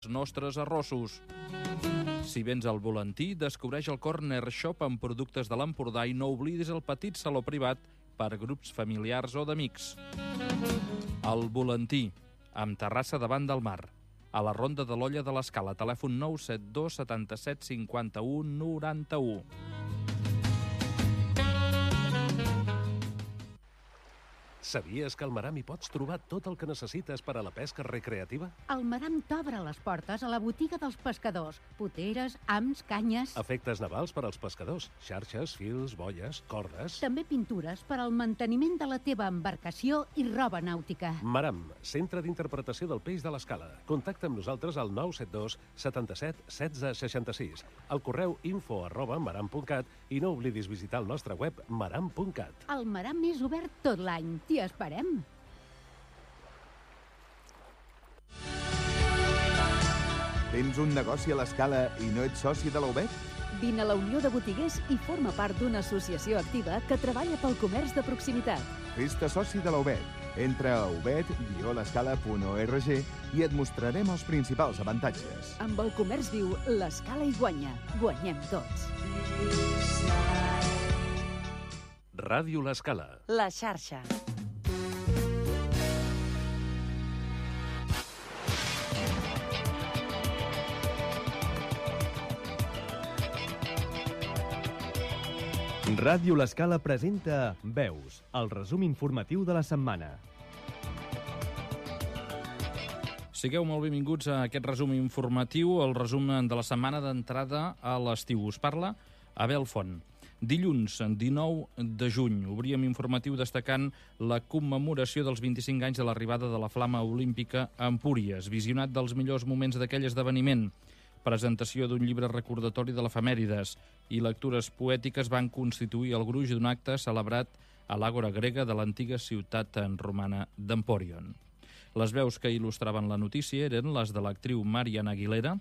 nostres arrossos. Si vens al Volantí, descobreix el Corner Shop amb productes de l'Empordà i no oblidis el petit saló privat per grups familiars o d'amics. El Volantí, amb terrassa davant del mar. A la Ronda de l'Olla de l'Escala, telèfon 972 77 51 91. Sabies que al Maram hi pots trobar tot el que necessites per a la pesca recreativa? El Maram t'obre les portes a la botiga dels pescadors. Poteres, hams, canyes... Efectes navals per als pescadors, xarxes, fils, boies, cordes... També pintures per al manteniment de la teva embarcació i roba nàutica. Maram, centre d'interpretació del peix de l'Escala. Contacta amb nosaltres al 972 77 16 66, al correu info@maram.cat i no oblidis visitar el nostre web maram.cat. El Maram és obert tot l'any. T'hi esperem. Tens un negoci a l'Escala i no ets soci de la UBET? Vine a la Unió de Botiguers i forma part d'una associació activa que treballa pel comerç de proximitat. Fes-te soci de la UBET. Entra a ubet-l'escala.org i et mostrarem els principals avantatges. Amb el comerç viu, l'Escala hi guanya. Guanyem tots. Ràdio l'Escala. La xarxa. Ràdio l'Escala presenta Veus, el resum informatiu de la setmana. Sigueu molt benvinguts a aquest resum informatiu, el resum de la setmana d'entrada a l'estiu. Us parla Abel Font. Dilluns, 19 de juny, obríem informatiu destacant la commemoració dels 25 anys de l'arribada de la Flama Olímpica a Empúries, visionat dels millors moments d'aquell esdeveniment. Presentació d'un llibre recordatori de l'efemèrides i lectures poètiques van constituir el gruix d'un acte celebrat a l'àgora grega de l'antiga ciutat romana d'Empòrion. Les veus que il·lustraven la notícia eren les de l'actriu Mariana Aguilera,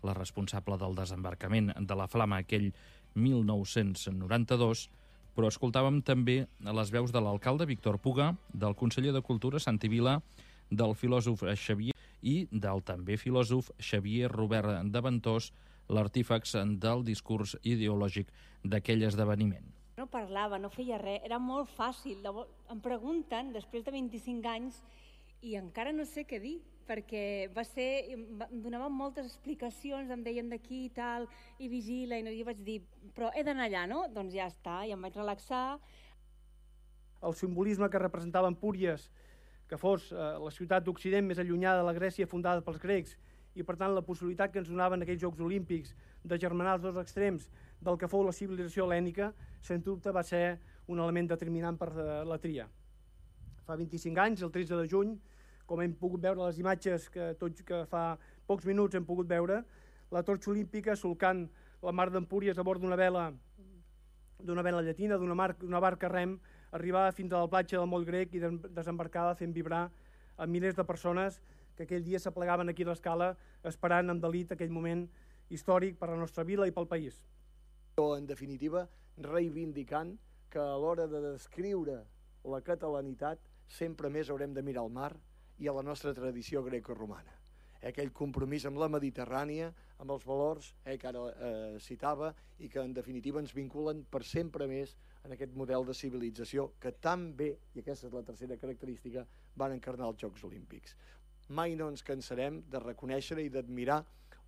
la responsable del desembarcament de la Flama aquell 1992, però escoltàvem també les veus de l'alcalde Víctor Puga, del conseller de Cultura Santi Vila, del filòsof Xavier i del també filòsof Xavier Robert de Ventós, l'artífex del discurs ideològic d'aquell esdeveniment. No parlava, no feia res, era molt fàcil. Em pregunten, després de 25 anys, i encara no sé què dir, perquè em donaven moltes explicacions, em deien d'aquí i tal, i vigila, i jo vaig dir, però he d'anar allà, no? Doncs ja està, i em vaig relaxar. El simbolisme que representava Empúries, que fos la ciutat d'Occident més allunyada de la Grècia fundada pels grecs, i per tant la possibilitat que ens donaven aquells Jocs Olímpics de germanar els dos extrems del que fou la civilització hel·lènica, sens dubte va ser un element determinant per la tria. Fa 25 anys, el 13 de juny, com hem pogut veure les imatges que fa pocs minuts hem pogut veure, la torxa olímpica solcant la mar d'Empúries a bord d'una vela llatina, d'una barca rem, arribava fins a la platja del Moll Grec i desembarcava fent vibrar a milers de persones que aquell dia s'aplegaven aquí a l'Escala esperant amb delit aquell moment històric per a la nostra vila i pel país. En definitiva, reivindicant que a l'hora de descriure la catalanitat sempre més haurem de mirar al mar i a la nostra tradició grecorromana. Aquell compromís amb la Mediterrània, amb els valors que ara citava i que en definitiva ens vinculen per sempre més en aquest model de civilització que tan bé, i aquesta és la tercera característica, van encarnar els Jocs Olímpics. Mai no ens cansarem de reconèixer i d'admirar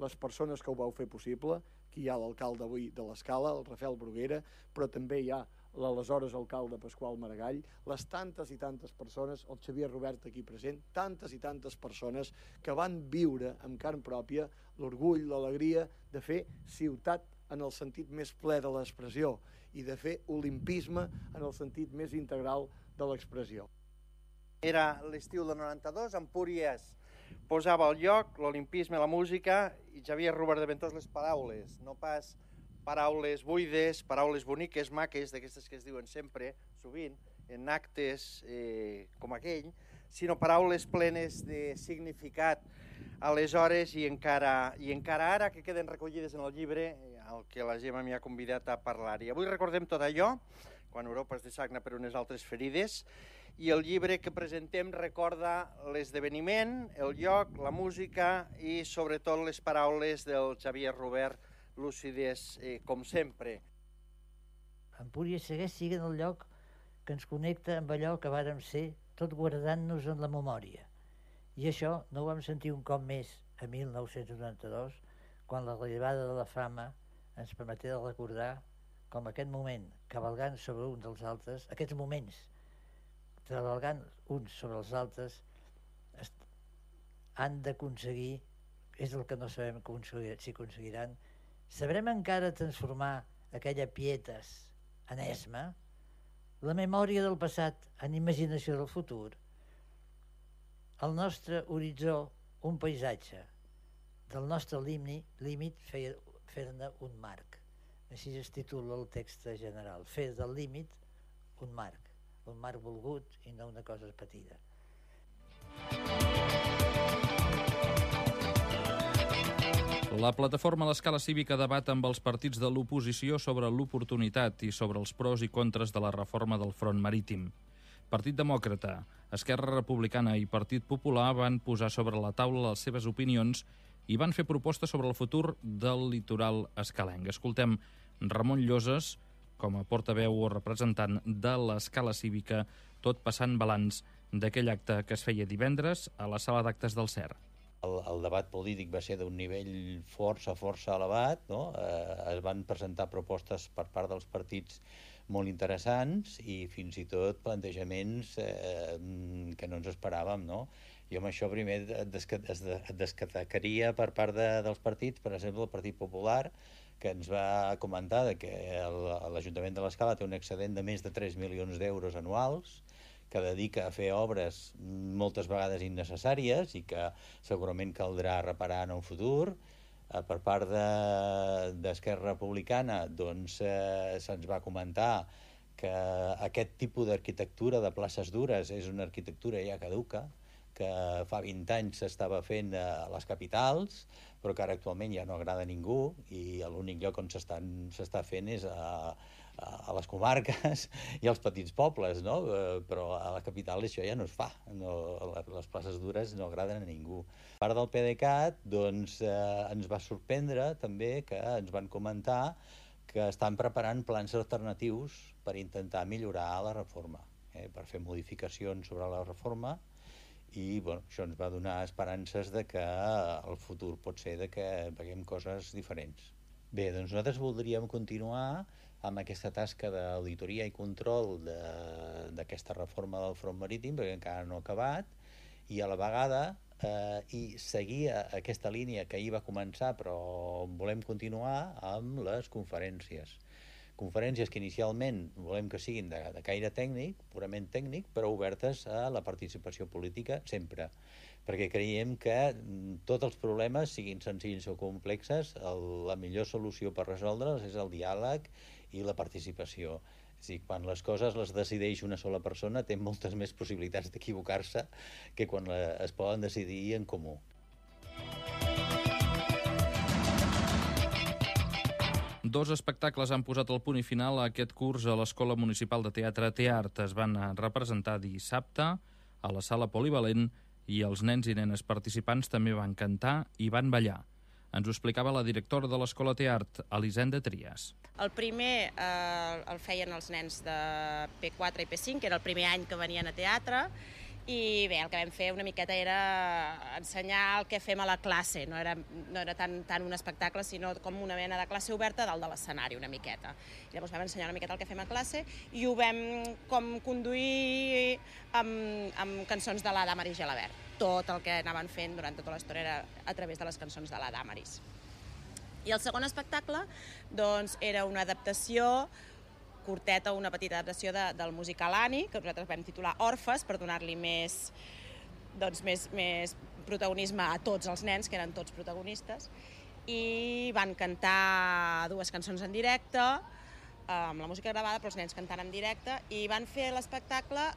les persones que ho vau fer possible. Aquí hi ha l'alcalde avui de l'Escala, el Rafael Bruguera, però també hi ha l'aleshores alcalde Pasqual Maragall, les tantes i tantes persones, el Xavier Robert aquí present, tantes i tantes persones que van viure amb carn pròpia l'orgull, l'alegria de fer ciutat en el sentit més ple de l'expressió i de fer olimpisme en el sentit més integral de l'expressió. Era l'estiu del 92, Empúries posava al lloc l'olimpisme, la música i Xavier Robert de Ventós les paraules, no pas paraules buides, paraules boniques, maques, d'aquestes que es diuen sempre, sovint, en actes com aquell, sinó paraules plenes de significat aleshores i encara ara, que queden recollides en el llibre al que la Gemma m'hi ha convidat a parlar. I avui recordem tot allò, quan Europa es dessagna per unes altres ferides, i el llibre que presentem recorda l'esdeveniment, el lloc, la música i sobretot les paraules del Xavier Robert, lúcides com sempre. Empúries segueix sent el lloc que ens connecta amb allò que vàrem ser, tot guardant-nos en la memòria. I això no ho vam sentir un cop més a 1992, quan l'arribada de la fama ens permetia recordar com aquest moment, cavalgant sobre un dels altres, aquests moments, cavalgant uns sobre els altres, han d'aconseguir, és el que no sabem si aconseguiran, sabrem encara transformar aquella pietas en esma, la memòria del passat en imaginació del futur, el nostre horitzó un paisatge, del nostre límit fer-ne un marc. Així es titula el text general, fer del límit un marc volgut i no una cosa petita. La plataforma a l'escala cívica debat amb els partits de l'oposició sobre l'oportunitat i sobre els pros i contres de la reforma del front marítim. Partit Demòcrata, Esquerra Republicana i Partit Popular van posar sobre la taula les seves opinions i van fer propostes sobre el futur del litoral escalenc. Escoltem Ramon Lloses, com a portaveu o representant de l'escala cívica, tot passant balanç d'aquell acte que es feia divendres a la sala d'actes del CER. El debat polític va ser d'un nivell força elevat, no? Es van presentar propostes per part dels partits molt interessants i fins i tot plantejaments que no ens esperàvem, no? Jo amb això primer destacaria per part dels partits, per exemple, el Partit Popular, que ens va comentar que l'Ajuntament de l'Escala té un excedent de més de 3 milions d'euros anuals, que dedica a fer obres moltes vegades innecessàries i que segurament caldrà reparar en un futur. Per part d'Esquerra Republicana doncs, se'ns va comentar que aquest tipus d'arquitectura de places dures és una arquitectura ja caduca, que fa 20 anys s'estava fent a les capitals, però que ara actualment ja no agrada a ningú i l'únic lloc on s'està fent és a les comarques i als petits pobles, no? Però a la capital això ja no es fa, les places dures no agraden a ningú. A part del PDeCAT, doncs, ens va sorprendre també que ens van comentar que estan preparant plans alternatius per intentar millorar la reforma, per fer modificacions sobre la reforma i això ens va donar esperances de que el futur pot ser que veiem coses diferents. Bé, doncs nosaltres voldríem continuar amb aquesta tasca d'auditoria i control d'aquesta reforma del front marítim, perquè encara no ha acabat, i a la vegada i seguir aquesta línia que ahir va començar, però volem continuar amb les conferències. Conferències que inicialment volem que siguin de caire tècnic, purament tècnic, però obertes a la participació política sempre, perquè creiem que tots els problemes, siguin senzills o complexes, la millor solució per resoldre'ls és el diàleg i la participació. És a dir, quan les coses les decideix una sola persona, té moltes més possibilitats d'equivocar-se que quan es poden decidir en comú. Dos espectacles han posat el punt i final a aquest curs a l'Escola Municipal de Teatre Teart. Es van representar dissabte a la sala polivalent i els nens i nenes participants també van cantar i van ballar. Ens ho explicava la directora de l'Escola Teart, Elisenda Trias. El primer el feien els nens de P4 i P5, que era el primer any que venien a teatre, i bé, el que vam fer una miqueta era ensenyar el que fem a la classe, no era tant un espectacle, sinó com una mena de classe oberta dalt de l'escenari, una miqueta. I llavors vam ensenyar una miqueta el que fem a classe i ho vam com conduir amb cançons de la Damaris Gelabert. Tot el que anaven fent durant tota l'estona era a través de les cançons de la Damaris. I el segon espectacle doncs, era una adaptació curteta, una petita adaptació del musical Annie, que nosaltres vam titular Orfes, per donar-li més protagonisme a tots els nens, que eren tots protagonistes, i van cantar dues cançons en directe, amb la música gravada, però els nens cantant en directe, i van fer l'espectacle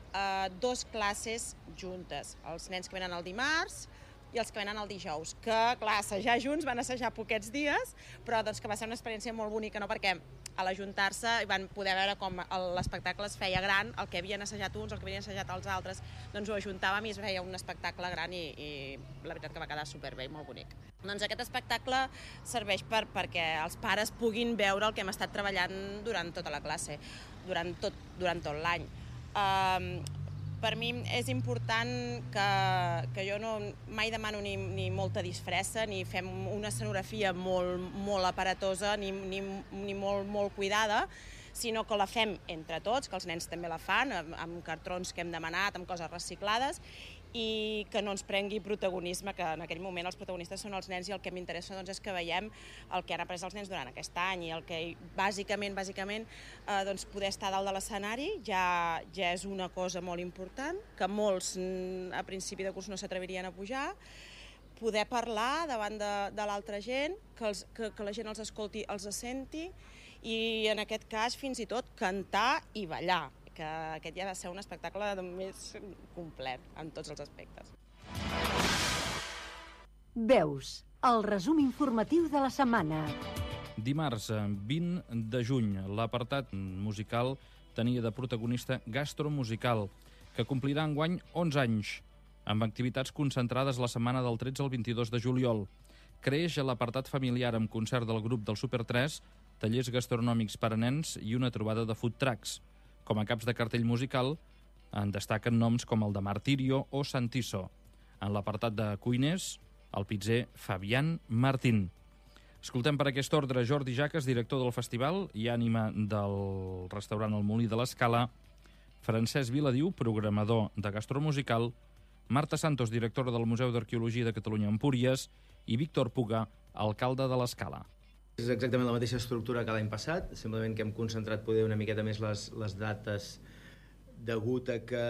dues classes juntes, els nens que venen el dimarts i i els que venen el dijous, que, clar, assajar junts, van assajar poquets dies, però doncs, que va ser una experiència molt bonica, no? Perquè a l'ajuntar-se van poder veure com l'espectacle es feia gran, el que havien assajat uns, el que havien assajat els altres, doncs ho ajuntàvem i es feia un espectacle gran i la veritat que va quedar superbé i molt bonic. Doncs aquest espectacle serveix perquè els pares puguin veure el que hem estat treballant durant tota la classe, durant tot l'any. Per mi és important que jo mai demano ni molta disfressa, ni fem una escenografia molt aparatosa, ni molt cuidada, sinó que la fem entre tots, que els nens també la fan, amb cartrons que hem demanat, amb coses reciclades, i que no ens prengui protagonisme, que en aquell moment els protagonistes són els nens i el que m'interessa és que veiem el que han après els nens durant aquest any i el que bàsicament poder estar dalt de l'escenari ja és una cosa molt important, que molts a principi de curs no s'atrevirien a pujar, poder parlar davant de l'altra gent, que la gent els escolti, els senti i en aquest cas fins i tot cantar i ballar, que aquest ja va ser un espectacle més complet en tots els aspectes. Veus, el resum informatiu de la setmana. Dimarts 20 de juny, l'apartat musical tenia de protagonista Gastromusical, que complirà enguany 11 anys, amb activitats concentrades la setmana del 13 al 22 de juliol. Creix l'apartat familiar amb concert del grup del Super 3, tallers gastronòmics per a nens i una trobada de food trucks. Com a caps de cartell musical en destaquen noms com el de Martirio o Santiso. En l'apartat de cuiners, el pizzer Fabián Martín. Escoltem per aquest ordre Jordi Jaques, director del festival i ànima del restaurant El Molí de l'Escala, Francesc Viladiu, programador de Gastromusical, Marta Santos, directora del Museu d'Arqueologia de Catalunya Empúries, i Víctor Puga, alcalde de l'Escala. És exactament la mateixa estructura que l'any passat, simplement que hem concentrat poder una miqueta més les dates degut a que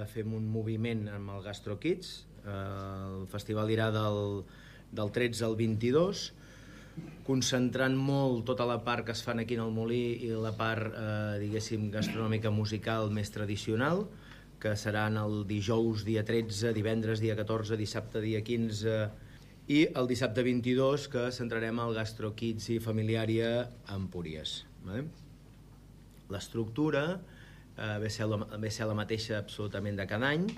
fem un moviment amb el Gastro Kids. El festival irà del 13 al 22, concentrant molt tota la part que es fan aquí en el Molí i la part, diguéssim, gastronòmica musical més tradicional, que seran el dijous dia 13, divendres dia 14, dissabte dia 15... i el dissabte 22, que centrarem al Gastro Kids i Familiària a Empúries. L'estructura ve a ser la mateixa absolutament de cada any,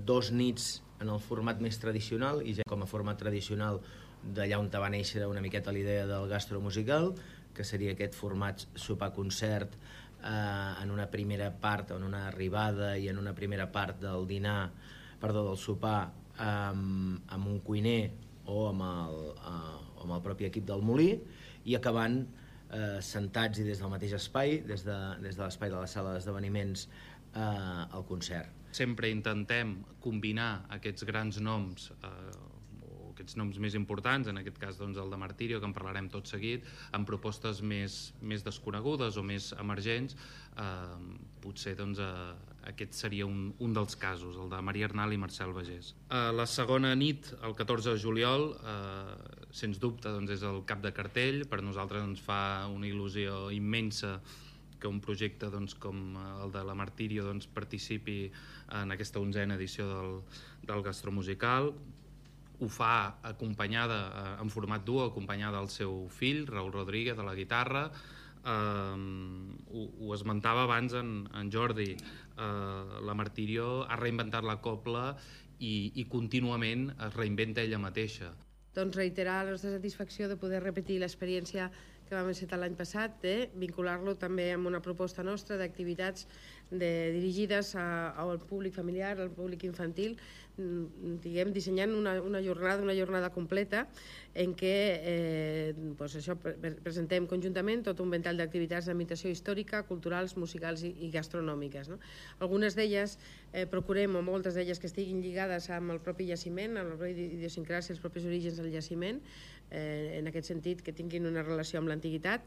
2 nits en el format més tradicional, i ja com a format tradicional d'allà on va néixer una miqueta l'idea del gastromusical, que seria aquest format sopar-concert en una primera part, en una arribada i en una primera part del del sopar, amb un cuiner o amb el propi equip del Molí, i acabant sentats i des del mateix espai, des de l'espai de la sala d'esdeveniments, al concert. Sempre intentem combinar aquests grans noms, aquests noms més importants, en aquest cas doncs, el de Martirio, que en parlarem tot seguit, amb propostes més desconegudes o més emergents. Potser doncs, aquest seria un dels casos, el de Maria Arnal i Marcel Bagés. La segona nit, el 14 de juliol, sens dubte doncs, és el cap de cartell. Per nosaltres ens fa una il·lusió immensa que un projecte doncs, com el de la Martirio doncs, participi en aquesta 11a edició del Gastromusical. Ho fa acompanyada, en format duo, acompanyada del seu fill, Raúl Rodríguez, de la guitarra. Ho esmentava abans en Jordi, la Martirio ha reinventat la cobla i contínuament es reinventa ella mateixa. Doncs reiterar la nostra satisfacció de poder repetir l'experiència que vam encetar l'any passat, vincular-lo també amb una proposta nostra d'activitats dirigides al públic familiar, al públic infantil, dissenyant una jornada completa en què presentem conjuntament tot un ventall d'activitats d'imitació històrica, culturals, musicals i gastronòmiques. Algunes d'elles procurem, o moltes d'elles, que estiguin lligades amb el propi jaciment, amb la pròpia idiosincràsia, els propis orígens del jaciment, en aquest sentit que tinguin una relació amb l'antiguitat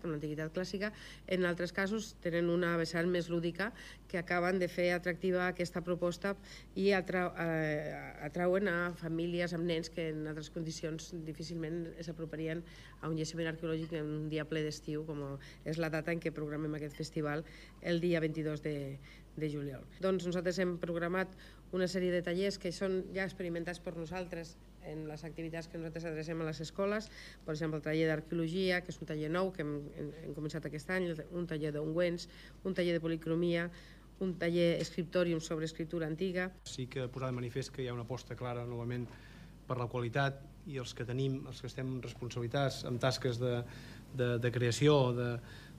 clàssica. En altres casos tenen una vessant més lúdica que acaben de fer atractiva aquesta proposta i atrauen a famílies amb nens que en altres condicions difícilment s'aproparien a un jaciment arqueològic en un dia ple d'estiu, com és la data en què programem aquest festival el dia 22 de juliol. Doncs nosaltres hem programat una sèrie de tallers que són ja experimentats per nosaltres en les activitats que nosaltres adrecem a les escoles. Per exemple, el taller d'arqueologia, que és un taller nou que hem començat aquest any, un taller d'ungüents, un taller de policromia, un taller escriptòrium sobre escriptura antiga. Sí que posar de manifest que hi ha una aposta clara novament per la qualitat, i els que tenim, els que estem responsabilitats amb tasques de creació,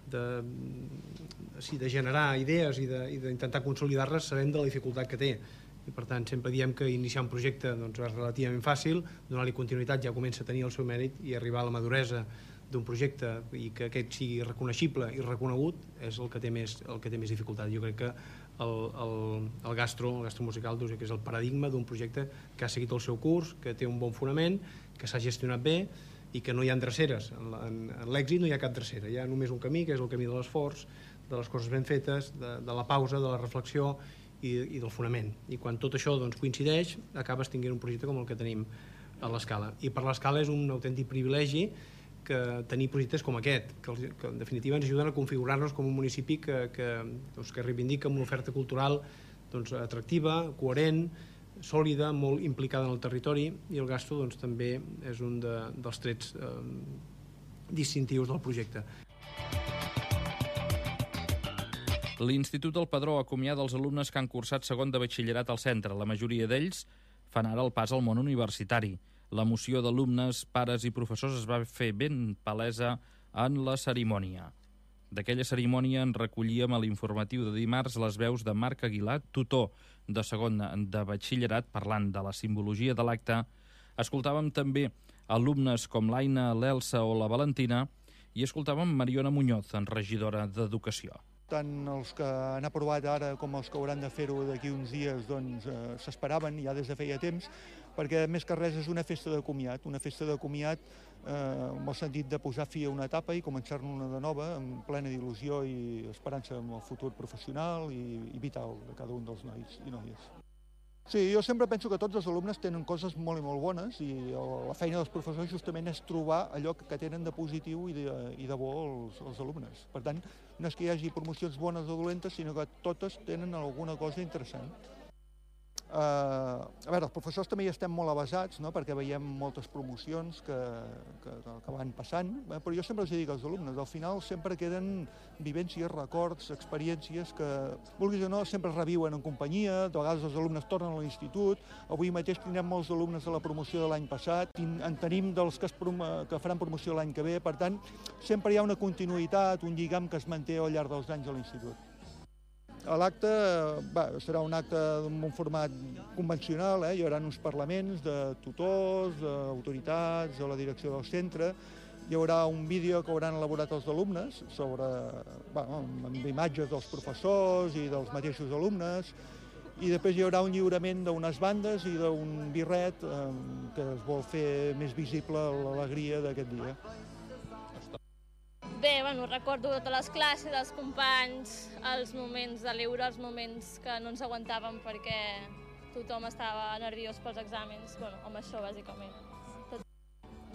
de generar idees i d'intentar consolidar-les, sabem de la dificultat que té. I per tant sempre diem que iniciar un projecte és relativament fàcil, donar-li continuïtat ja comença a tenir el seu mèrit, i arribar a la maduresa d'un projecte i que aquest sigui reconeixible i reconegut és el que té més dificultat. Jo crec que el gastro musical que és el paradigma d'un projecte que ha seguit el seu curs, que té un bon fonament, que s'ha gestionat bé i que no hi ha dreceres. En l'èxit no hi ha cap drecera, hi ha només un camí, que és el camí de l'esforç, de les coses ben fetes, de la pausa, de la reflexió i del fonament. I quan tot això coincideix, acabes tenint un projecte com el que tenim a l'Escala. I per l'Escala és un autèntic privilegi que tenir projectes com aquest, que en definitiva ens ajuden a configurar-nos com un municipi que reivindica una oferta cultural atractiva, coherent, sòlida, molt implicada en el territori, i el gastro també és un dels trets distintius del projecte. L'Institut del Padró acomiada els alumnes que han cursat segon de batxillerat al centre. La majoria d'ells fan ara el pas al món universitari. L'emoció d'alumnes, pares i professors es va fer ben palesa en la cerimònia. D'aquella cerimònia en recollíem a l'informatiu de dimarts les veus de Marc Aguilar, tutor de segon de batxillerat, parlant de la simbologia de l'acte. Escoltàvem també alumnes com l'Aina, l'Elsa o la Valentina, i escoltàvem Mariona Muñoz, regidora d'Educació. Tant els que han aprovat ara com els que hauran de fer-ho d'aquí uns dies s'esperaven ja des de feia temps, perquè més que res és una festa de comiat amb el sentit de posar fi a una etapa i començar-ne una de nova amb plena d'il·lusió i esperança en el futur professional i vital de cada un dels nois i noies. Sí, jo sempre penso que tots els alumnes tenen coses molt i molt bones, i la feina dels professors justament és trobar allò que tenen de positiu i de bo els alumnes. Per tant, no és que hi hagi promocions bones o dolentes, sinó que totes tenen alguna cosa interessant. A veure, els professors també hi estem molt avasats, perquè veiem moltes promocions que van passant, però jo sempre els dic als alumnes, al final sempre queden vivències, records, experiències que, vulguis o no, sempre es reviuen en companyia. De vegades els alumnes tornen a l'institut. Avui mateix tindrem molts alumnes de la promoció de l'any passat, en tenim dels que faran promoció l'any que ve. Per tant, sempre hi ha una continuïtat, un lligam que es manté al llarg dels anys a l'institut. L'acte serà un acte amb un format convencional, hi haurà uns parlaments de tutors, d'autoritats, de la direcció del centre. Hi haurà un vídeo que hauran elaborat els alumnes amb imatges dels professors i dels mateixos alumnes, i després hi haurà un lliurament d'unes bandes i d'un birret que es vol fer més visible l'alegria d'aquest dia. Bé, recordo totes les classes, els companys, els moments de l'euro, els moments que no ens aguantàvem perquè tothom estava nerviós pels exàmens, amb això bàsicament.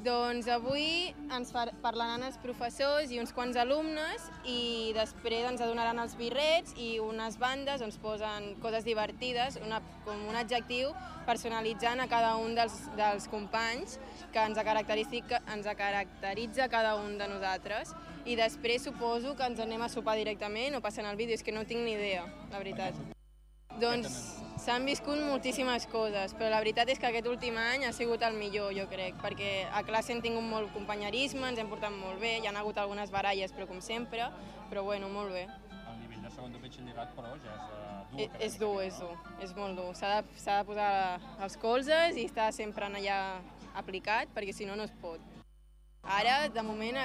Doncs avui ens parlaran els professors i uns quants alumnes, i després ens donaran els birrets i unes bandes on posen coses divertides, com un adjectiu personalitzant a cada un dels companys que ens caracteritza cada un de nosaltres. I després suposo que ens anem a sopar directament o passen el vídeo, és que no tinc ni idea, la veritat. Doncs s'han viscut moltíssimes coses, però la veritat és que aquest últim any ha sigut el millor, jo crec, perquè a classe hem tingut molt companyerisme, ens hem portat molt bé, hi ha hagut algunes baralles, però com sempre, però molt bé. El nivell de segon de batxillerat, però, ja és dur. És molt dur. S'ha de posar els colzes i estar sempre allà aplicat, perquè si no, no es pot. Ara, de moment,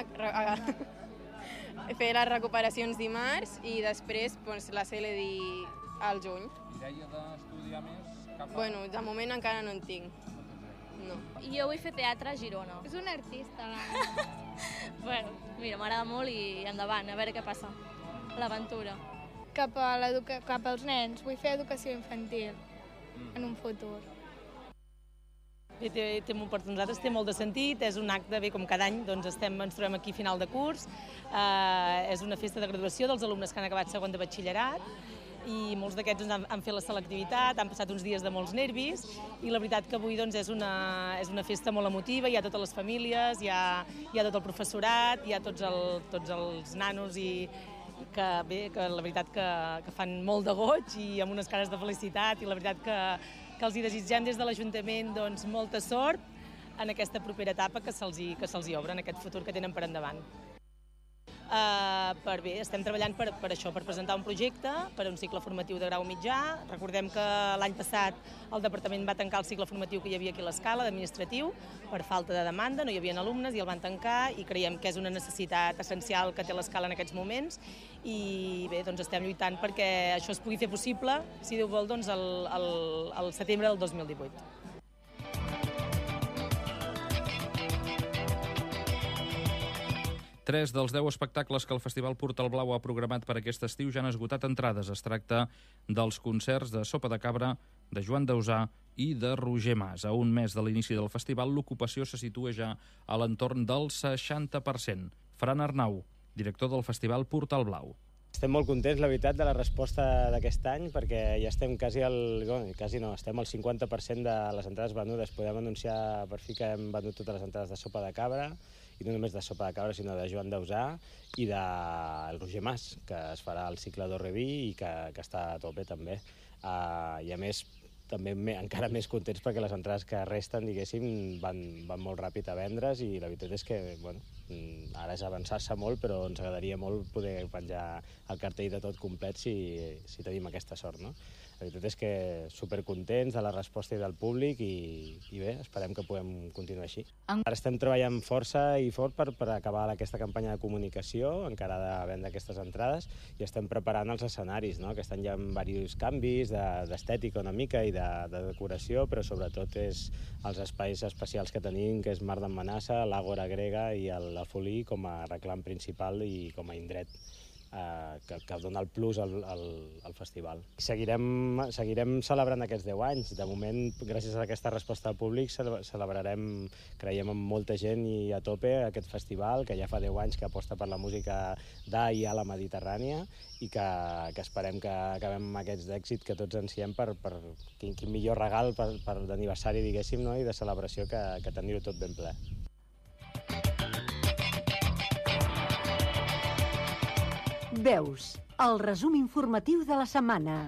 fer les recuperacions dimarts i després la CLD al juny. Idea d'estudiar més? De moment encara no en tinc. No. Jo vull fer teatre a Girona. És un artista, Mira, m'agrada molt i endavant, a veure què passa. L'aventura. Cap als nens, vull fer educació infantil en un futur. Per nosaltres té molt de sentit, és un acte, com cada any, ens trobem aquí a final de curs, és una festa de graduació dels alumnes que han acabat segon de batxillerat, i molts d'aquests han fet la selectivitat, han passat uns dies de molts nervis i la veritat que avui és una festa molt emotiva, hi ha totes les famílies, hi ha tot el professorat, hi ha tots els nanos i que la veritat que fan molt de goig i amb unes cares de felicitat, i la veritat que els hi desitgem des de l'Ajuntament molta sort en aquesta propera etapa que se'ls hi obre, en aquest futur que tenen per endavant. Estem treballant per això, per presentar un projecte per a un cicle formatiu de grau mitjà. Recordem que l'any passat el Departament va tancar el cicle formatiu que hi havia aquí a l'Escala, d'administratiu, per falta de demanda, no hi havia alumnes i el van tancar, i creiem que és una necessitat essencial que té l'Escala en aquests moments, i bé, estem lluitant perquè això es pugui fer possible, si Déu vol, al setembre del 2018. 3 dels 10 espectacles que el Festival Portal Blau ha programat per aquest estiu ja han esgotat entrades. Es tracta dels concerts de Sopa de Cabra, de Joan Dausà i de Roger Mas. A un mes de l'inici del festival, l'ocupació se situa ja a l'entorn del 60%. Fran Arnau, director del Festival Portal Blau. Estem molt contents, la veritat, de la resposta d'aquest any, perquè ja estem estem al 50% de les entrades venudes. Podem anunciar per fi que hem venut totes les entrades de Sopa de Cabra, i no només de Sopa de Cabra, sinó de Joan Dausà i del Roger Mas, que es farà el cicle d'Orreví i que està a tope també. I a més, també encara més contents perquè les entrades que resten, diguéssim, van molt ràpid a vendre's, i la veritat és que, ara és avançar-se molt, però ens agradaria molt poder penjar el cartell de tot complet si tenim aquesta sort, no? La veritat és que supercontents de la resposta i del públic, i bé, esperem que puguem continuar així. Ara estem treballant força i fort per acabar aquesta campanya de comunicació, encara de vendre aquestes entrades, i estem preparant els escenaris, no? Aquest any hi ha diversos canvis d'estètica una mica i de decoració, però sobretot és els espais especials que tenim, que és Mar d'Emmanassa, l'Àgora Grega i el Folí com a reclam principal i com a indret que dona el plus al festival. Seguirem celebrant aquests 10 anys. De moment, gràcies a aquesta resposta al públic, celebrarem, creiem, amb molta gent i a tope aquest festival, que ja fa 10 anys que aposta per la música i a la Mediterrània, i que esperem que acabem amb aquests d'èxit que tots ansiem per quin millor regal per d'aniversari, diguéssim, i de celebració que tenir-ho tot ben ple. Veus, el resum informatiu de la setmana.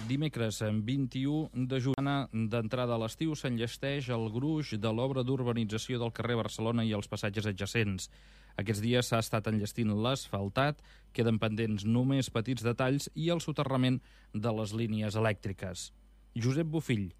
Dimecres, 21 de juny, d'entrada a l'estiu, s'enllesteix el gruix de l'obra d'urbanització del carrer Barcelona i els passatges adjacents. Aquests dies s'ha estat enllestint l'asfaltat, queden pendents només petits detalls i el soterrament de les línies elèctriques. Josep Bofill,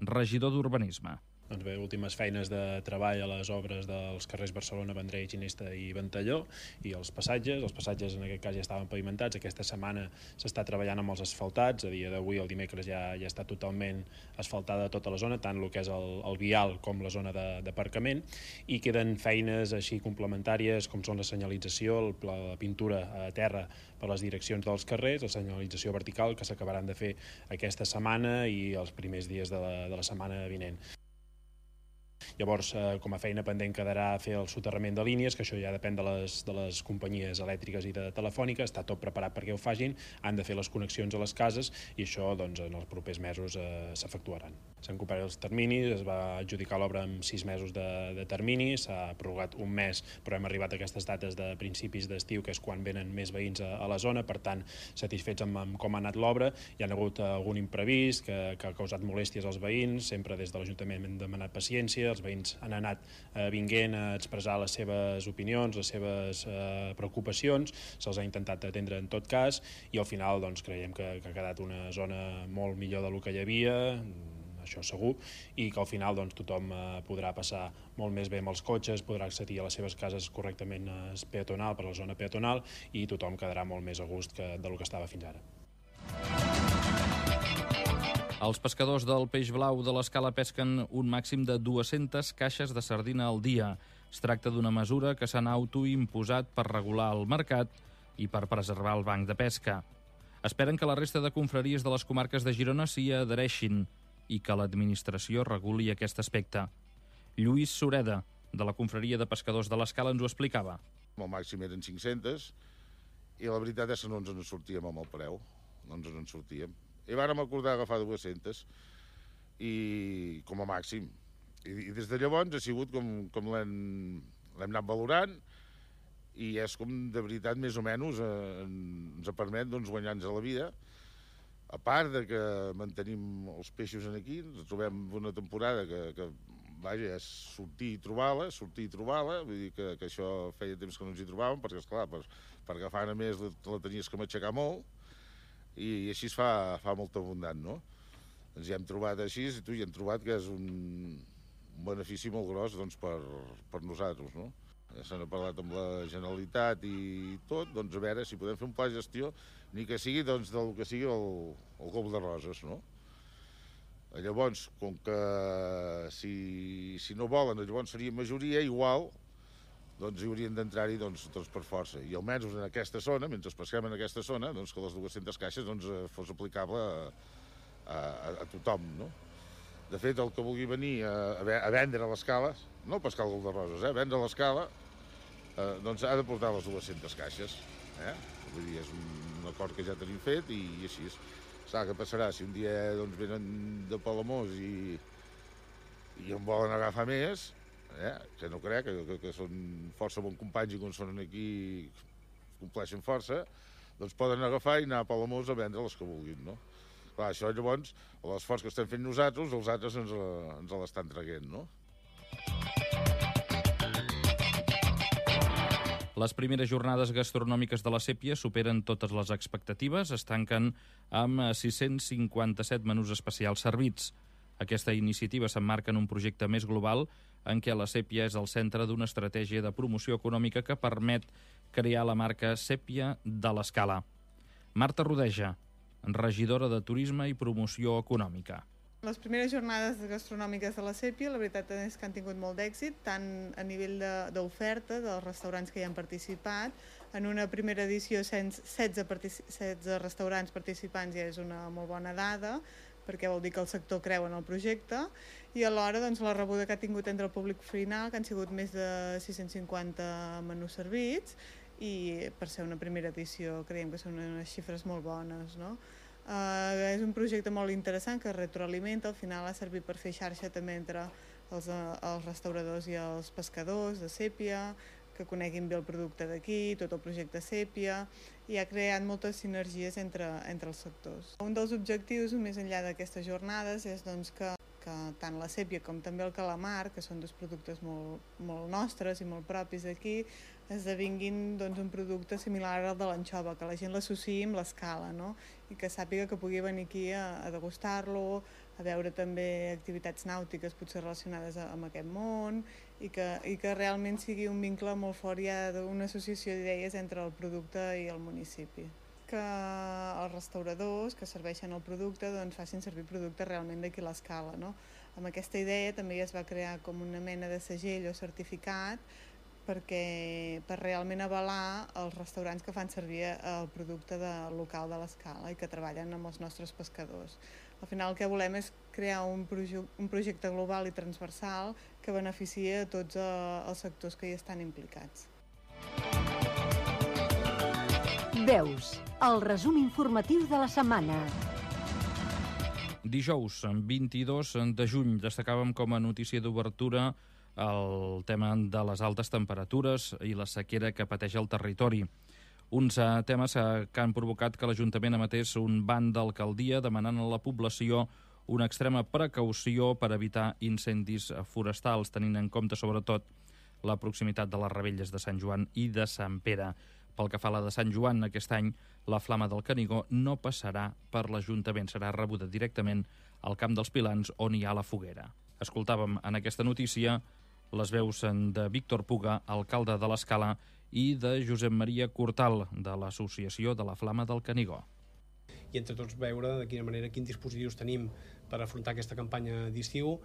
regidor d'Urbanisme. Doncs bé, últimes feines de treball a les obres dels carrers Barcelona, Vendrell, Ginesta i Ventalló, i els passatges en aquest cas ja estaven pavimentats. Aquesta setmana s'està treballant amb els asfaltats. A dia d'avui, el dimecres, ja està totalment asfaltada tota la zona, tant el que és el vial com la zona d'aparcament, i queden feines així complementàries com són la senyalització, la pintura a terra per les direccions dels carrers, la senyalització vertical, que s'acabaran de fer aquesta setmana i els primers dies de la setmana vinent. Llavors, com a feina pendent quedarà fer el soterrament de línies, que això ja depèn de les companyies elèctriques i de telefònica. Està tot preparat perquè ho facin, han de fer les connexions a les cases, i això en els propers mesos s'efectuaran. S'han complert els terminis, es va adjudicar l'obra amb 6 mesos de termini, s'ha prorrogat un mes, però hem arribat a aquestes dates de principis d'estiu, que és quan venen més veïns a la zona. Per tant, satisfets amb com ha anat l'obra. Hi ha hagut algun imprevist que ha causat molèsties als veïns, sempre des de l'Ajuntament hem demanat paciència, els veïns han anat vinguent a expressar les seves opinions, les seves preocupacions, se'ls ha intentat atendre en tot cas, i al final creiem que ha quedat una zona molt millor del que hi havia, això segur, i que al final tothom podrà passar molt més bé amb els cotxes, podrà accedir a les seves cases correctament peatonal, per la zona peatonal, i tothom quedarà molt més a gust del que estava fins ara. Els pescadors del peix blau de l'Escala pesquen un màxim de 200 caixes de sardina al dia. Es tracta d'una mesura que s'han autoimposat per regular el mercat i per preservar el banc de pesca. Esperen que la resta de confraries de les comarques de Girona s'hi adhereixin i que l'administració reguli aquest aspecte. Lluís Sureda, de la confraria de pescadors de l'Escala, ens ho explicava. El màxim eren 500, i la veritat és que no ens en sortíem amb el preu, no ens en sortíem. I vàrem acordar agafar 200 i com a màxim. I des de llavors ha sigut com l'hem anat valorant i és com de veritat més o menys ens permet guanyar-nos a la vida. A part de que mantenim els peixos aquí, ens trobem una temporada que vaja, és sortir i trobar-la, vull dir que això feia temps que no ens hi trobàvem, perquè, esclar, per agafar a més la tenies que matxacar molt, i així es fa molt abundant, no? Ens hi hem trobat així, i tu hi hem trobat que és un benefici molt gros per nosaltres, no? Ja se n'ha parlat amb la Generalitat i tot, doncs a veure si podem fer un pla de gestió, ni que sigui del que sigui el Golf de Roses, no? Llavors, com que si no volen, llavors seria majoria, igual, doncs hi haurien d'entrar-hi per força. I almenys en aquesta zona, mentre pesquem en aquesta zona, que les 200 caixes fos aplicable a tothom, no? De fet, el que vulgui venir a vendre a l'escala, no pescar el Golf de Roses, a vendre a l'escala, doncs ha de portar les 200 caixes. Vull dir, és un acord que ja tenim fet i així és. Saps què passarà? Si un dia venen de Palamós i en volen agafar més, que no crec, que són força bons companys i quan són aquí compleixen força, doncs poden agafar i anar a Palamós a vendre les que vulguin, no? Clar, això llavors, l'esforç que estem fent nosaltres, els altres ens l'estan traient, no? Les primeres jornades gastronòmiques de la Sèpia superen totes les expectatives, es tanquen amb 657 menús especials servits. Aquesta iniciativa s'emmarca en un projecte més global en què la Sèpia és el centre d'una estratègia de promoció econòmica que permet crear la marca Sèpia de l'Escala. Marta Rodeja, regidora de Turisme i Promoció Econòmica. Les primeres jornades gastronòmiques de la Sèpia, la veritat és que han tingut molt d'èxit, tant a nivell d'oferta dels restaurants que hi han participat. En una primera edició, 16 restaurants participants ja és una molt bona dada, perquè vol dir que el sector creu en el projecte, i alhora la rebuda que ha tingut entre el públic final, que han sigut més de 650 menús servits, i per ser una primera edició creiem que són unes xifres molt bones, no? És un projecte molt interessant que retroalimenta, al final ha servit per fer xarxa també entre els restauradors i els pescadors de Sèpia, que coneguin bé el producte d'aquí, tot el projecte Sèpia, i ha creat moltes sinergies entre els sectors. Un dels objectius, més enllà d'aquestes jornades, és que tant la Sèpia com també el calamar, que són dos productes molt nostres i molt propis d'aquí, esdevinguin un producte similar al de l'anxova, que la gent l'associï amb l'escala, no? I que sàpiga que pugui venir aquí a degustar-lo, a veure també activitats nàutiques potser relacionades amb aquest món, i que realment sigui un vincle molt fort ja d'una associació d'idees entre el producte i el municipi. Que els restauradors que serveixen el producte facin servir producte realment d'aquí a l'escala, no? Amb aquesta idea també ja es va crear com una mena de segell o certificat per realment avalar els restaurants que fan servir el producte local de l'escala i que treballen amb els nostres pescadors. Al final el que volem és crear un projecte global i transversal que beneficia a tots els sectors que hi estan implicats. Veus, el resum informatiu de la setmana. Dijous, 22 de juny, destacàvem com a notícia d'obertura el tema de les altes temperatures i la sequera que pateix el territori. Uns temes que han provocat que l'Ajuntament emetés un ban d'alcaldia demanant a la població una extrema precaució per evitar incendis forestals, tenint en compte sobretot la proximitat de les revetlles de Sant Joan i de Sant Pere. Pel que fa a la de Sant Joan, aquest any la Flama del Canigó no passarà per l'Ajuntament, serà rebuda directament al Camp dels Pilans on hi ha la foguera. Escoltàvem en aquesta notícia les veus de Víctor Puga, alcalde de l'Escala, i de Josep Maria Cortal, de l'Associació de la Flama del Canigó. I entre tots veure de quina manera, quins dispositius tenim per afrontar aquesta campanya d'estiu,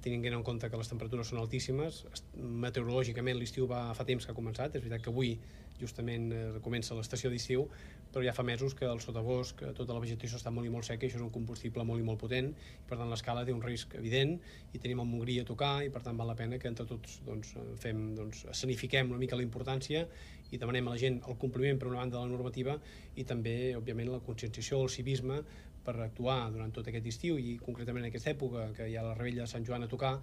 tenint en compte que les temperatures són altíssimes. Meteorològicament l'estiu fa temps que ha començat, és veritat que avui justament comença l'estació d'estiu, però ja fa mesos que el sotabosc, tota la vegetació està molt i molt seca i això és un combustible molt i molt potent, i per tant l'escala té un risc evident i tenim el Montgrí a tocar i per tant val la pena que entre tots escenifiquem una mica la importància i demanem a la gent el compliment per una banda de la normativa i també, òbviament, la conscienciació, el civisme per actuar durant tot aquest estiu i concretament en aquesta època que hi ha la Rebella de Sant Joan a tocar,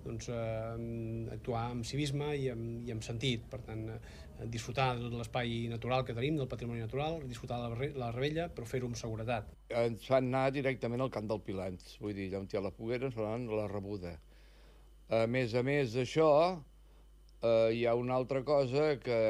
actuar amb civisme i amb sentit, per tant disfrutar de tot l'espai natural que tenim, del patrimoni natural, disfrutar de la Rebella, però fer-ho amb seguretat. Ens fan anar directament al camp del Pilans, vull dir, allà on hi ha la foguera ens fan la rebuda. A més d'això, hi ha una altra cosa que